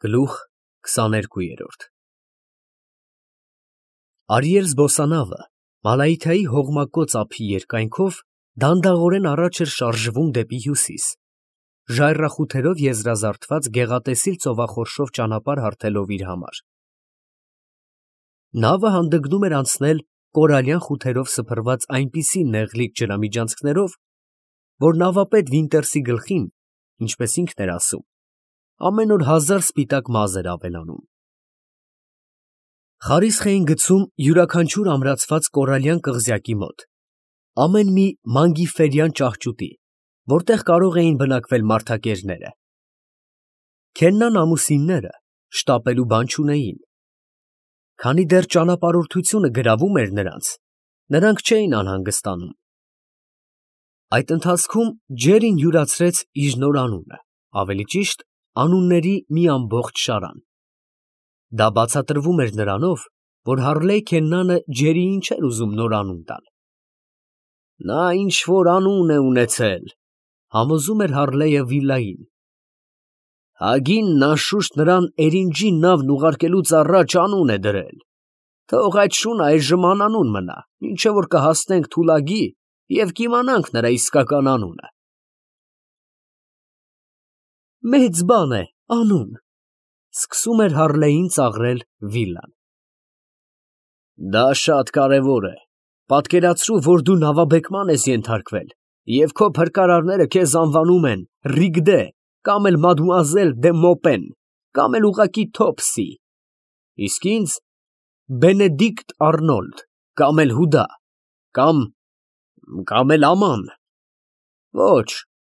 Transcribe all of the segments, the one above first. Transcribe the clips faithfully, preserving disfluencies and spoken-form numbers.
Գլուխ քսաներկու։ Արիել զբոսանավը Մալայիթայի հողմակոծ ափի երկայնքով դանդաղորեն առաջ էր շարժվում դեպի հյուսիս, ժայռախութերով եզրազարդված գեղատեսիլ ծովախորշով ճանապարհ հարթելով իր համար։ Նավը հանդգնում էր անցնել կորալյան խութերով սփռված այնպիսի նեղլիկ ջրամիջանցքներով, որ նավապետ Վինտերսի գլխին, ինչպես ինքն էր ասում, ամեն օր հազար սպիտակ մազ էր ավելանում։ Խարիսխ էին գցում յուրաքանչյուր ամրացված կորալյան կղզյակի մոտ, ամեն մի մանգիֆերյան ճահճուտի, որտեղ կարող էին բնակվել մարդակերները։ Քեննան ամուսինները շտապելու բան չունեին։ Քանի դեռ ճանապարհորդությունը գրավում էր նրանց, նրանք չէին անհանգստանում։ Այդ ընթացքում Ջերին յուրացրեց իր նոր անունը, ավելի ճիշտ անունների մի ամբողջ շարան։ Դա բացատրվում էր նրանով, որ Հարլեյ Քեննանը Ջերիին չէր ուզում նոր անուն տալ։ Նա ինչ որ անուն է ունեցել, համոզում էր Հարլեյը Վիլային։ Հագինն անշուշտ նրան էրինջի նավն ուղարկելուց առաջ անուն է դրել։ Թող այդ շունը այժմ անանուն մնա, մինչև որ կհասնենք Թուլագի և կիմանանք նրա իսկական անունը։ Մեծ բան է անուն, սկսում էր Հարլեյին ծաղրել Վիլան։ Դա շատ կարևոր է, պատկերացրու, որ դու նավաբեկման ես ենթարկվել, և քո փրկարարները քեզ անվանում են Ռիգդե, կամ էլ մադմուազել դե Մոպեն, կամ էլ ուղղակի Թոփսի, իսկ ինձ Բենեդիկտ Արնոլդ, կամ էլ Հուդա, կամ… կամ էլ Աման։ Ոչ,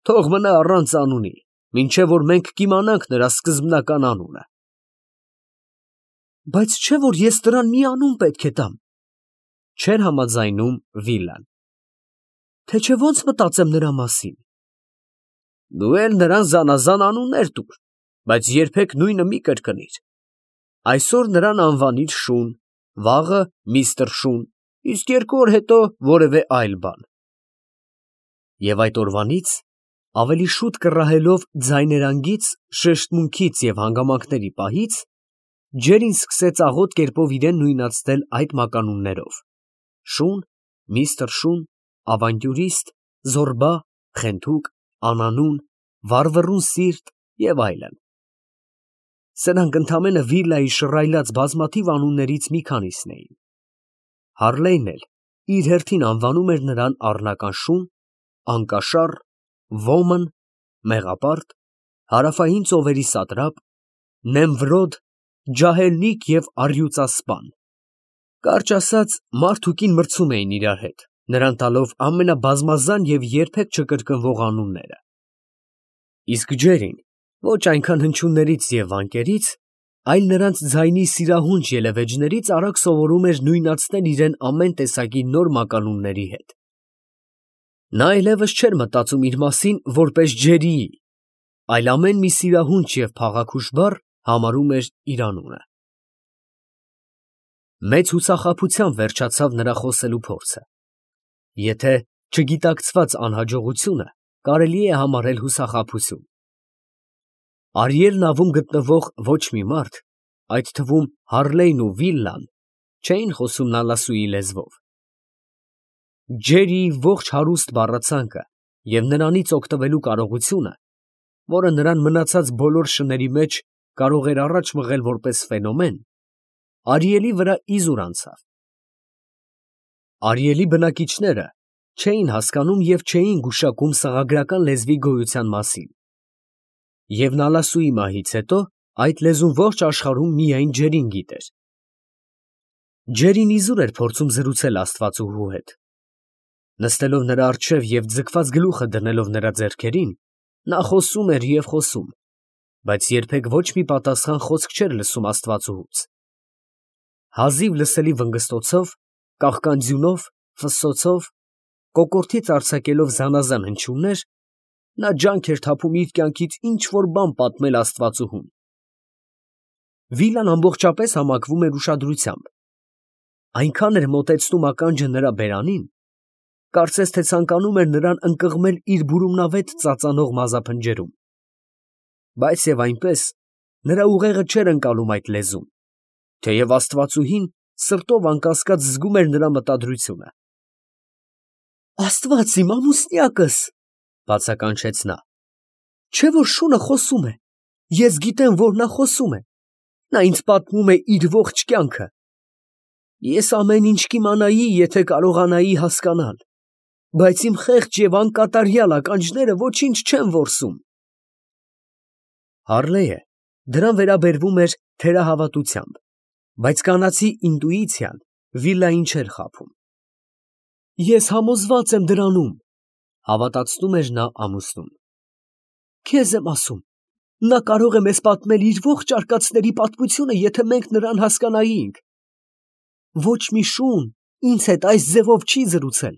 թող մնա առանց անունի, մինչև որ մենք կիմանանք նրա սկզբնական անունը։ Բայց չէ՞ որ ես նրան մի անուն պետք է տամ, չէր համաձայնում Վիլան։ Թե չէ ո՞նց մտածեմ նրա մասին։ Դու էլ նրան զանազան անուններ տուր, բայց երբեք նույնը մի կրկնիր։ Այսօր նրան անվանիր Շուն, վաղը միստր Շուն, իսկ երկու օր հետո որևէ այլ բան։ Եվ այդ օրվանից, ավելի շուտ կռահելով ձայներանգից, շեշտմունքից և հանգամանքների պահից, Ջերին սկսեց աղոտ կերպով իրեն նույնացնել այդ մականուններով. Շուն, միստր Շուն, ավանտյուրիստ, զոռբա, խենթուկ, անանուն, վառվռուն սիրտ և այլն։ Սրանք ընդամենը Վիլայի շռայլած բազմաթիվ անուններից մի քանիսն էին։ Հարլեյն էլ իր հերթին անվանում էր նրան առնական Շուն, անկաշառ, ոմն, մեղապարտ, հարավային ծովերի սատրապ, Նեմվրոդ, ջահելնիկ և առյուծասպան։ Կարճ ասած, մարդ ու կին մրցում էին իրար հետ, նրան տալով ամենաբազմազան և երբեք չկրկնվող անունները։ Իսկ Ջերին ոչ այնքան հնչյուններից և վանկերից, այլ նրանց ձայնի սիրահունչ ելևէջներից արագ սովորում էր նույնացնել իրեն ամեն տեսակի նոր մականունների հետ։ Նա այլևս չէր մտածում իր մասին որպես Ջերիի, այլ ամեն մի սիրահունչ և փաղաքուշ բառ համարում էր իր անունը։ Մեծ հուսախաբությամբ վերջացավ նրա խոսելու փորձը։ Եթե չգիտակցված անհաջողությունը կարելի է համարել հուսախաբություն։ Արիել նավում գտնվող ոչ մի մարդ, այդ թվում Հարլեյն ու Վիլան, չէին խոսում նալասուի լեզվով։ Ջերիի ողջ հարուստ բառացանկը և նրանից օգտվելու կարողությունը, որը նրան մնացած բոլոր շների մեջ կարող էր առաջ մղել որպես ֆենոմեն, Արիելի վրա իզուր անցավ։ Արիելի բնակիչները չէին հասկանում և չէին գուշակում սղագրական լեզվի գոյության մասին։ Եվ նալասուի մահից հետո այդ լեզուն ողջ աշխարհում միայն Ջերին գիտեր։ Ջերին իզուր էր փորձում զրուցել աստվածուհու հետ։ Նստելով նրա առջև և ձգված գլուխը դնելով նրա ձեռքերին, նա խոսում էր և խոսում, բայց երբեք ոչ մի պատասխան խոսք չէր լսում աստվածուհուց։ Հազիվ լսելի վնգստոցով, կաղկանձյունով, ֆսսոցով, կոկորդից արձակելով զանազան հնչյուններ, նա ջանք էր թափում իր կյանքից ինչ֊որ բան պատմել աստվածուհուն։ Վիլան ամբողջապես համակվում էր ուշադրությամբ։ Այնքան էր մոտեցնում ականջը նրա բերանին, կարծես թե ցանկանում էր նրան ընկղմել իր բուրումնավետ ծածանող մազափնջերում։ Բայց և այնպես, Նրա ուղեղը չէր ընկալում այդ լեզուն, թեև աստվածուհին սրտով անկասկած զգում էր նրա մտադրությունը։ «Աստված իմ, ամուսնյակս, ֊ բացականչեց նա, ֊ չէ՞ որ շունը խոսում է, ես գիտեմ, որ նա խոսում է, նա ինձ պատմում է իր ողջ կյանքը, ես ամեն ինչ կիմանայի, եթե կարողանայի հասկանալ, բայց իմ խեղճ և անկատարյալ ականջները ոչինչ չեն որսում»։ Հառլեյը դրան վերաբերվում էր թերահավատությամբ, բայց կանացի ինտուիցիան Վիլային չէր խաբում։ «Ես համոզված եմ դրանում, ֊ հավատացնում էր նա ամուսնուն, ֊ քեզ եմ ասում, նա կարող է մեզ պատմել իր ողջ արկածների պատմությունը, եթե մենք նրան հասկանայինք։ Ոչ մի շուն ինձ հետ այս ձևով չի զրուցել,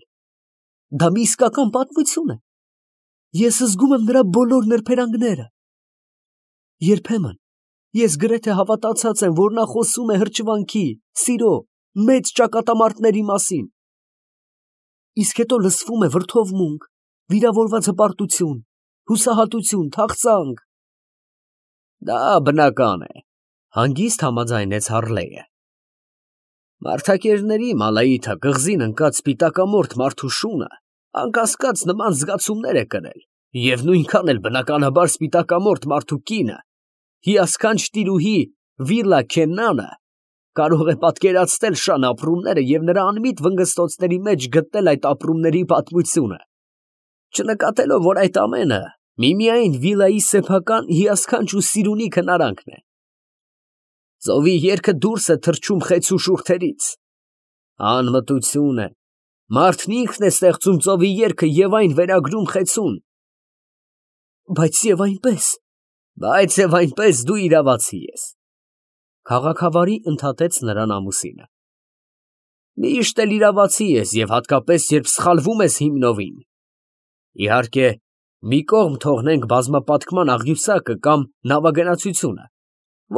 դա մի իսկական պատմություն է, ես զգում եմ նրա բոլոր նրբերանգները։ Երբեմն ես գրեթե հավատացած եմ, որ նա խոսում է հրճվանքի, սիրո, մեծ ճակատամարտների մասին, իսկ հետո լսվում է վրդովմունք, վիրավորված հպարտություն, հուսահատություն, թախծանք»։ «Դա բնական է, ֊ հանգիստ համաձայնեց Հառլեյը։ Մարդակերների Մալայիթը կղզին ընկած սպիտակամորթ մարդու շունը անկասկած նման զգացումներ է կրել, և նույնքան էլ բնականաբար սպիտակամորթ մարդու կինը, հիասքանչ տիրուհի Վիլա Քեննանը, կարող է պատկերացնել շան ապրումները և նրա անմիտ վնգստոցների մեջ գտնել այդ ապրումների պատմությունը, չնկատելով, որ այդ ամենը միմիայն Վիլայի սեփական հիասքանչ ու սիրունի քնարանքն է։ Ծովի երգը դուրս է թռչում խեցու շուրթերից, անմտություն է, մարդն ինքն է ստեղծում ծովի երգը և այն վերագրում խեցուն։ Բայց և այնպես, բայց և այնպես դու իրավացի ես, ֊ քաղաքավարի ընդհատեց նրան ամուսինը։ Միշտ էլ իրավացի ես և հատկապես, երբ սխալվում ես հիմնովին։ Իհարկե, մի կողմ թողնենք բազմապատկման աղյուսակը կամ նավագնացությունը,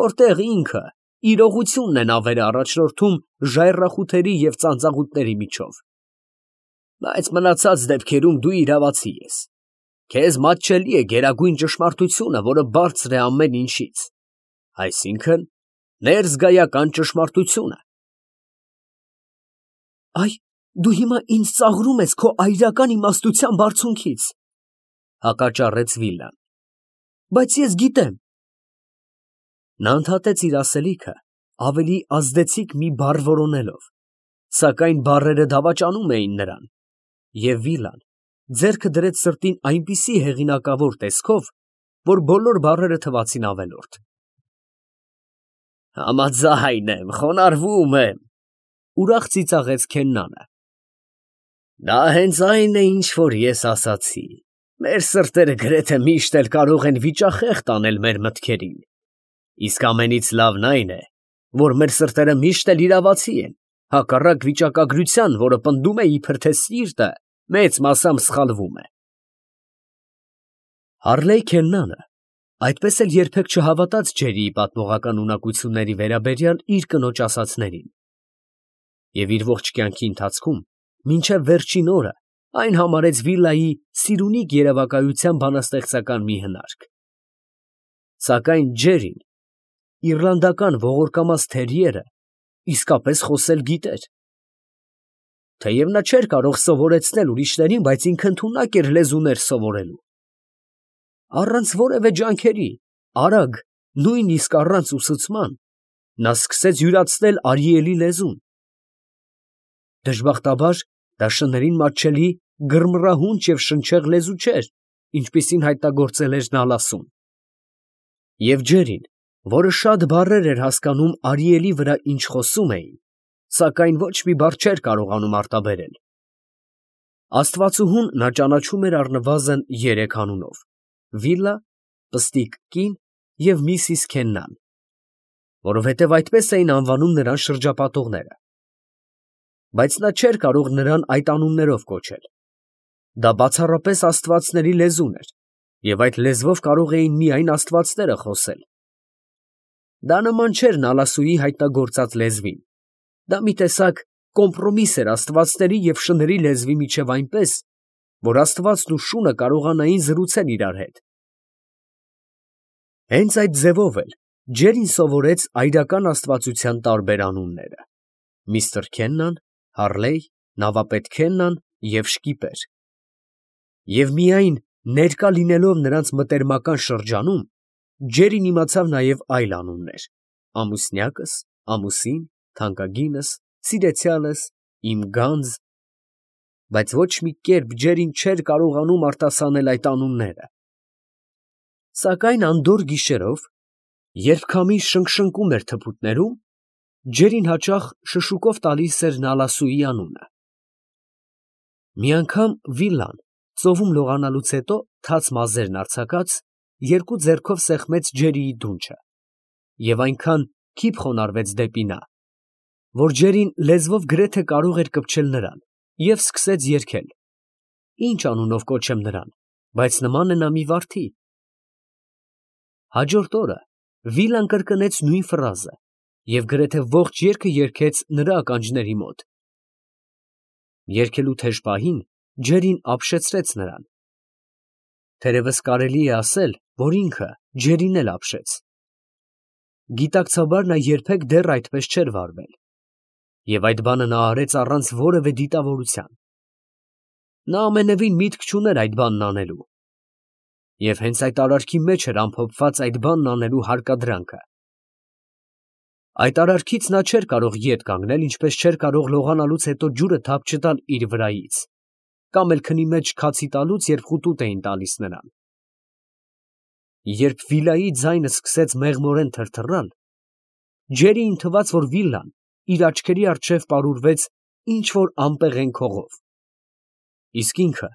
որտեղ ինքը իրողությունն է նավերը առաջնորդում ժայռախութերի և ծանծաղուտների միջով, բայց մնացած դեպքերում դու իրավացի ես, քեզ մատչելի է գերագույն ճշմարտությունը, որը բարձր է ամեն ինչից, այսինքն ներզգայական ճշմարտությունը։ Այ դու հիմա ինձ ծաղրում ես քո այրական իմաստության բարձունքից, ֊ հակաճառեց Վիլան, ֊ բայց ես գիտեմ։ Նա ընդհատեց իր ասելիքը ավելի ազդեցիկ մի բառ որոնելով, սակայն բառերը դավաճանում էին նրան, և Վիլան ձեռքը դրեց սրտին այնպիսի հեղինակավոր տեսքով, որ բոլոր բառերը թվացին ավելորդ։ Համաձայն եմ, խոնարհվում եմ, ֊ ուրախ ծիծաղեց Քեննանը։ Դա հենց այն է, ինչ որ ես ասացի, մեր սրտերը գրեթե միշտ էլ կարող են վիճախեղտ անել մեր մտքերին, իսկ ամենից լավն այն է, որ մեր սրտերը միշտ էլ իրավացի են, հակառակ վիճակագրության, որը պնդում է, իբր թե սիրտը մեծ մասամբ սխալվում է։ Հառլեյ Քեննանը այդպես էլ երբեք չհավատաց Ջերիի պատմողական ունակությունների վերաբերյալ իր կնոջ ասածներին, և իր ողջ կյանքի ընթացքում մինչև վերջին օրը այն համարեց Վիլայի սիրունիկ երևակայության բանաստեղծական մի հնարք։ Սակայն Ջերին, իռլանդական ողորկամաս թերիերը, իսկապես խոսել գիտեր։ Թեև նա չէր կարող սովորեցնել ուրիշներին, բայց ինքը ընդունակ էր լեզուներ սովորելու։ Առանց որևէ ջանքերի, արագ, նույնիսկ առանց ուսուցման, նա սկսեց յուրացնել Արիելի լեզուն։ Դժբախտաբար, դա շներին մատչելի գրմռահունչ և շնչեղ լեզու չէր, ինչպիսին հայտնագործել էր Նալասուն։ Եվ Ջերին, որը շատ բառեր էր հասկանում Արիելի վրա, ինչ խոսում էին, սակայն ոչ մի բառ չէր կարողանում արտաբերել։ Աստվածուհուն նա ճանաչում էր առնվազն երեք անունով. Վիլա, պստիկ կին և Միսիս Քեննան, որովհետև այդպես էին անվանում նրան շրջապատողները։ Բայց նա չէր կարող նրան այդ անուններով կոչել։ Դա բացառապես աստվածների լեզուն էր, և այդ լեզվով կարող էին միայն աստվածները խոսել։ Դա նման չէր Նալասուի հայտնագործած լեզվին, դա մի տեսակ կոմպրոմիս էր աստվածների և շների լեզվի միջև այնպես, որ աստվածն ու շունը կարողանային զրուցել իրար հետ։ Հենց այդ ձևով էլ Ջերին սովորեց այրական աստվածության տարբեր անունները. միստր Քեննան, Հարլեյ, նավապետ Քեննան և շկիպեր։ Եվ միայն ներկա լինելով նրանց մտերմական շրջանում, Ջերին իմացավ նաև այլ անուններ. ամուսնյակս, ամուսին, թանկագինս, սիրեցյալս, իմ գանձ, բայց ոչ մի կերպ Ջերին չէր կարողանում արտասանել այդ անունները։ Սակայն անդորր գիշերով, երբ քամին շնշնկում էր թփուտներում, Ջերին հաճախ շշուկով տալիս էր Նալասուի անունը։ Մի անգամ վիլան, ծովում լողանալուց հետո թաց մազերն արձակած, երկու ձեռքով սեղմեց Ջերիի դունչը և այնքան քիփ խոնարհվեց դեպի նա, որ Ջերին լեզվով գրեթե կարող էր կպչել նրան և սկսեց երգել. «Ի՞նչ անունով կոչեմ նրան, բայց նման է նա մի վարդի»։ Հաջորդ օրը վիլան կրկնեց նույն ֆրազը և գրեթե ողջ երգը երգեց նրա ականջների մոտ։ Երգելու թեժ պահին Ջերին ապշեցրեց նրան։ Թերևս կարելի է ասել, որ ինքը Ջերին էլ ապշեց։ Գիտակցաբար նա երբեք դեռ այդպես չէր վարվել, և այդ բանը նա արեց առանց որևէ դիտավորության։ Նա ամենևին միտք չուներ այդ բանն անելու, և հենց այդ արարքի մեջ էր ամփոփված այդ բանն անելու հարկադրանքը։ Այդ արարքից նա չէր կարող ետ կանգնել, ինչպես չէր կարող լողանալուց հետո ջուրը թափ չտալ իր վրայից, կամ էլ քնի մեջ քացի տալուց, երբ խուտուտ էին տալիս նրան։ Երբ վիլայի ձայնը սկսեց մեղմորեն թրթռալ, Ջերիին թվաց, որ վիլան իր աչքերի առջև պարուրվեց ինչ֊որ անպեղեն քողով, իսկ ինքը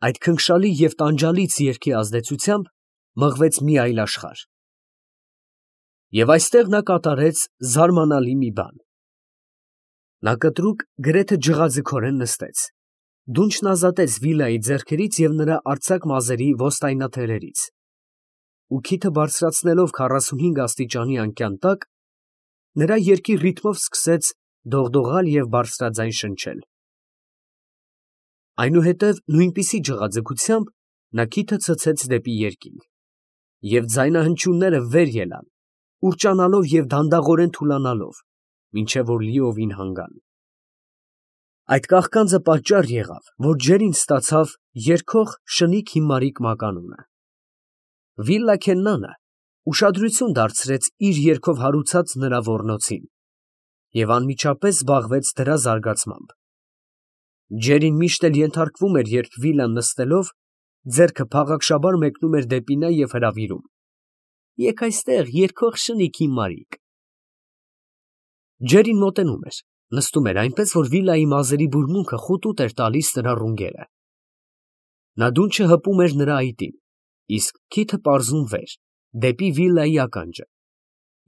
այդ քնքշալի և տանջալից երգի ազդեցությամբ մղվեց մի այլ աշխարհ։ Եվ այստեղ նա կատարեց զարմանալի մի բան. նա կտրուկ, գրեթե ջղաձգորեն նստեց, դունչն ազատեց վիլայի ձեռքերից և նրա արձակ մազերի ոստայնաթելերից, ու քիթը բարձրացնելով քառասունհինգ աստիճանի անկյան տակ, նրա երգի ռիթմով սկսեց դողդողալ և բարձրաձայն շնչել։ Այնուհետև նույնպիսի ջղաձգությամբ նա քիթը ցցեց դեպի երկինք, և ձայնահնչյունները վեր ելան, ուռճանալով և դանդաղորեն թուլանալով, մինչև որ լիովին հանգան։ Այդ կաղկանձը պատճառ եղավ, որ Ջերին ստացավ երգող շնիկ հիմարիկ մականունը։ Վիլլա Քեննանը ուշադրություն դարձրեց իր երգով հարուցած նրա ոռնոցին և անմիջապես զբաղվեց դրա զարգացմամբ։ Ջերին միշտ էլ ենթարկվում էր, երբ վիլան նստելով, ձեռքը փաղաքշաբար մեկնում էր դեպի նա և հրավիրում. «Եկ այստեղ, երգող շնիկ հիմարիկ»։ Ջերին մոտենում էր, նստում էր այնպես, որ վիլայի մազերի բուրմունքը խուտուտ էր տալիս նրա ռունգերը։ Նա դունչը հպում էր նրա այտին, իսկ քիթը պարզում վեր, դեպի վիլայի ականջը,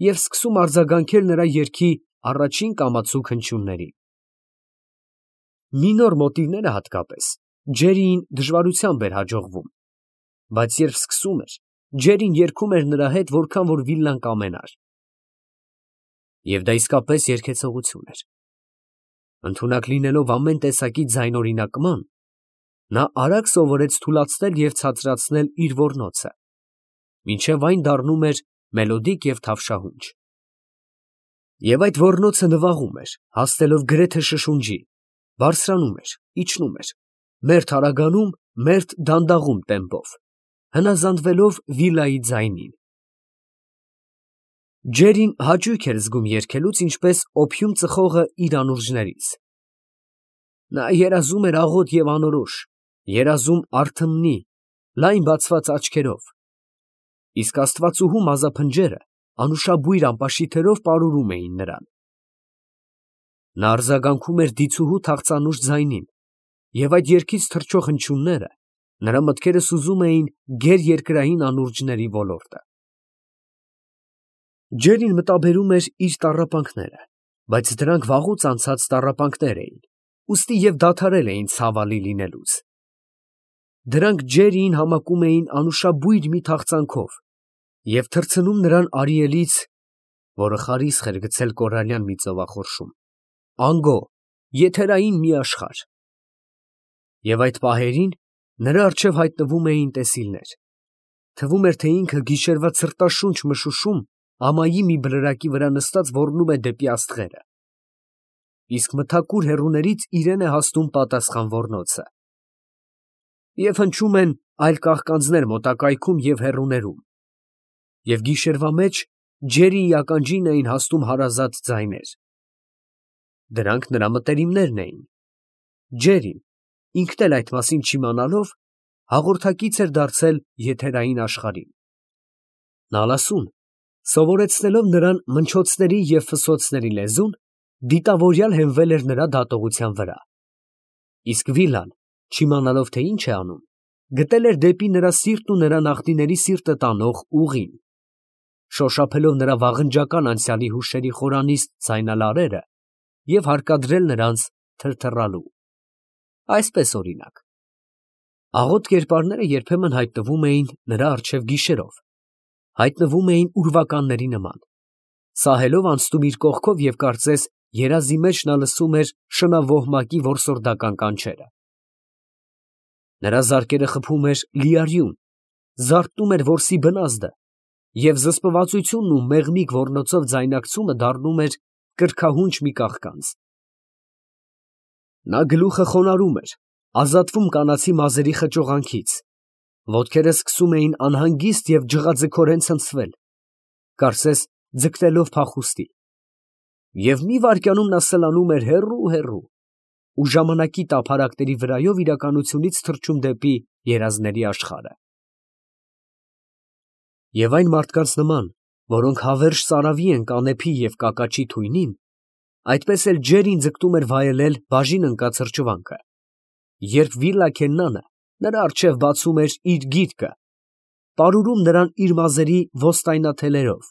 և սկսում արձագանքել նրա երգի առաջին կամացուկ հնչյուններին։ Մինոր մոտիվները հատկապես Ջերիին դժվարությամբ էր հաջողվում, բայց երբ սկսում էր, Ջերին երգում էր նրա հետ, որքան որ վիլան կամենար։ Եվ դա իսկապես երգեցողություն էր։ Ընդունակ լինելով ամեն տեսակի ձայնօրինակման, նա արագ սովորեց թուլացնել և ցածրացնել իր ոռնոցը, մինչև այն դառնում էր մելոդիկ և թավշահունչ։ Եվ այդ ոռնոցը նվաղում էր, հասնելով գրեթե շշունջի, բարձրանում էր, իջնում էր, մերթ արագանում, մերթ դանդաղում տեմպով, հնազանդվելով վիլայի ձայնին։ Ջերին հաճույք էր զգում երգելուց, ինչպես օփյուն ծխողը իր անուրջներից։ Նա երազում էր աղոտ և անորոշ, երազում արթմնի, լայն բացված աչքերով, իսկ աստվածուհու մազափնջերը անուշաբույր ամպաշիթերով պարուրում էին նրան։ Նա արձագանքում էր դիցուհու թախծանուշ ձայնին, և այդ երգից թռչող հնչյունները նրա մտքերը սուզում էին գերերկրային անուրջների ոլորտը։ Ջերին մտաբերում էր իր տառապանքները, բայց դրանք վաղուց անցած տառապանքներ էին, ուստի և դադարել էին ցավալի լինելուց։ Դրանք Ջերիին համակում էին անուշաբույր մի թախծանքով և թռցնում նրան Արիելից, որը խարիսխ էր գցել կորալյան մի ծովախորշում, անգո, եթերային մի աշխարհ։ Եվ այդ պահերին նրա առջև հայտնվում էին տեսիլներ, թվում էր, թե ինքը գիշերվա ցրտաշունչ մշուշում ամայի մի բլրակի վրա նստած ոռնում է դեպի աստղերը, իսկ մթակուր հեռուներից իրեն է հասնում պատասխան ոռնոցը, և հնչում են այլ կաղկանձներ մոտակայքում և հեռուներում, և գիշերվա մեջ ջերիի ականջին էին հասնում հարազատ ձայներ. դրանք նրա մտերիմներն էին, Ջերին, ինքն էլ այդ մասին չիմանալով, հաղորդակից էր դարձել եթերային աշխարհին, Նալասուն, սովորեցնելով նրան մնչոցների և ֆսոցների լեզուն, դիտավորյալ հենվել էր նրա դատողության վրա, իսկ Վիլան, չիմանալով թե ինչ է անում, գտել էր դեպի նրա սիրտն ու նրա նախնիների սիրտը տանող ուղին, շոշափելով նրա վաղնջական անցյալի հուշերի խորանիստ ձայնալարերը և հարկադրել նրանց թրթռալու, այսպես օրինակ. աղոտ կերպարները երբեմն հայտնվում էին նրա առջև գիշերով, հայտնվում էին ուրվականների նման, սահելով անցնում իր կողքով և կարծես երազի մեջ նա լսում էր շնավոհմակի որսորդական կանչերը, նրա զարկերը խփում էր լիարյուն, զարթնում էր որսի բնազդը և զսպվածությունն ու մեղմիկ ոռնոցով ձայնակցումը դառնում էր կրքահունչ մի կաղկանց, նա գլուխը խոնարհում էր, ազատվում կանացի մազերի խճողանքից, ոտքերը սկսում էին անհանգիստ և ջղաձգորեն ցնցվել, կարծես ձգտելով փախուստի, և մի վայրկյանում նա սլանում էր հեռու, ու ժամանակի տափարակների վրայով իրականությունից թռչում դեպի երազների աշխարհը, և այն մարդկանց նման, որոնք հավերժ ծարավի են կանեփի և կակաչի թույնին, այդպես էլ Ջերին ձգտում էր վայելել բաժին ընկած հրճվանքը, երբ Վիլլա Քեննանը նրա առջև բացում էր իր գիրկը, պարուրում նրան իր մազերի ոստայնաթելերով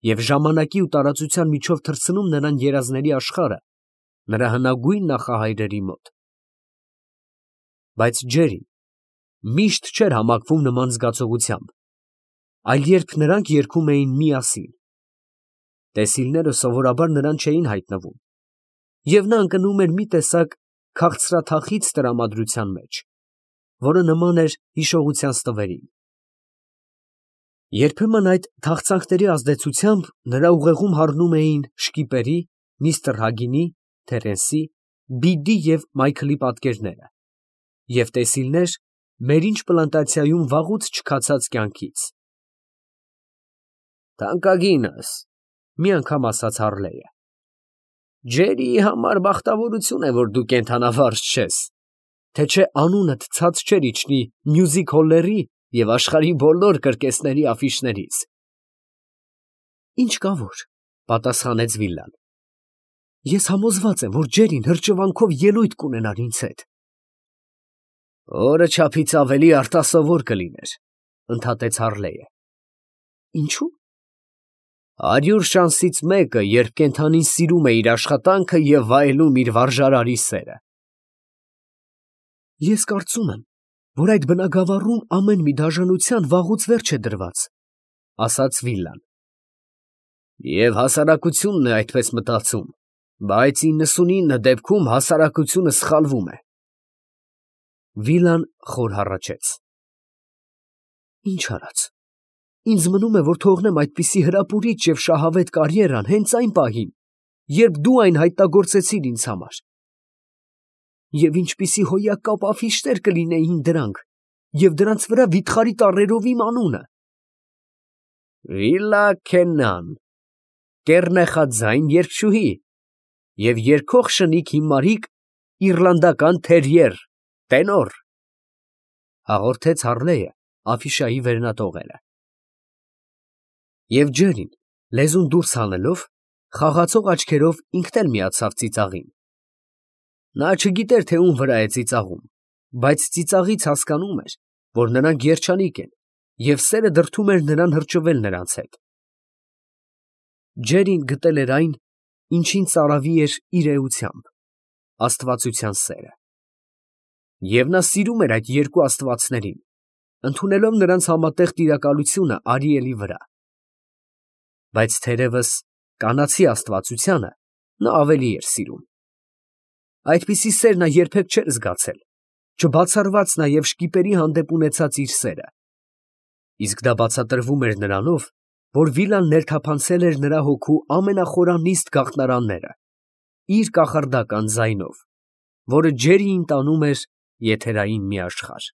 և ժամանակի ու տարածության միջով թռցնում նրան երազների աշխարհը, նրա հնագույն նախահայրերի մոտ, բայց Ջերին միշտ չէր համակվում նման զգացողությամբ, այլ երբ նրանք երգում էին միասին, տեսիլները սովորաբար նրան չէին հայտնվում, և նա ընկնում էր մի տեսակ քաղցրաթախիծ տրամադրության մեջ, որը նման էր հիշողության ստվերին, երբեմն այդ թախծանքների ազդեցությամբ նրա ուղեղում հառնում էին Շկիպերի, միստր Հագինի, Թերենսի, Բիդի և Մայքլի պատկերները և տեսիլներ Մերինջ պլանտացիայում վաղուց չքացած կյանքից։ «Թանկագինս, ֊ մի անգամ ասաց Հառլեյը, ֊ Ջերիի համար բախտավորություն է, որ դու կենդանավարժ չես, թե չէ անունդ ցած չէր իջնի մյուզիք հոլլերի և աշխարհի բոլոր կրկեսների աֆիշներից»։ «Ինչ կա որ, ֊ պատասխանեց Վիլլան, ֊ ես համոզված եմ, որ Ջերին հրճվանքով ելույթ կունենար ինձ հետ։ ֊ Օրը չափից ավելի արտասովոր կլիներ, ֊ ընդհատեց Հառլեյը։ ֊ Ինչո՞ւ։ ֊ Հարյուր շանսից մեկը, երբ կենդանին սիրում է իր աշխատանքը և վայելում իր վարժարարի սերը։ ֊ Ես կարծում եմ, որ այդ բնագավառում ամեն մի դաժանության վաղուց վերջ է դրված, ֊ ասաց Վիլլան։ ֊ Եվ հասարակությունն է այդպես մտածում, բայց իննսունինը դեպքում հասարակությունը սխալվում է։ Վիլան խոր հառաչեց։ ֊ Ինչ արած, ինձ մնում է, որ թողնեմ այդպիսի հրապուրիչ և շահավետ կարիերան հենց այն պահին, երբ դու այն հայտնագործեցիր ինձ համար, և ինչպիսի հոյակապ աֆիշներ կլինեին դրանք, և դրանց վրա վիթխարի տառերով իմ անունը։ Վիլլա Քեննան, կեռնեխաձայն երգչուհի և երգող շնիկ հիմարիկ իռլանդական թերիեր, տենոր, ֊ հաղորդեց Հառլեյը աֆիշայի վերնատողերը։ Եվ Ջերին, լեզուն դուրս հանելով, խաղացող աչքերով ինքն էլ միացավ ծիծաղին. նա չգիտեր, թե ում վրա է ծիծաղում, բայց ծիծաղից հասկանում էր, որ նրանք երջանիկ են, և սերը դրդում էր նրան հրճվել նրանց հետ։ Ջերին գտել էր այն, ինչին ծարավի էր իր էությամբ, աստվածության սերը։ Եվ նա սիրում էր այդ երկու աստվածներին, ընդունելով նրանց համատեղ տիրակալությունը Արիելի վրա։ Բայց թերևս կանացի աստվածությանը նա ավելի էր սիրում։ Այդպիսի սեր նա երբեք չէր զգացել, չբացառված նաև Շկիպերի հանդեպ ունեցած իր սերը, իսկ դա բացատրվում էր նրանով, որ վիլան ներթափանցել էր նրա հոգու ամենախորանիստ գաղտնարանները, իր կախարդական ձայնով, որը ջերի ընտանում էր եթերային մի աշխարհ։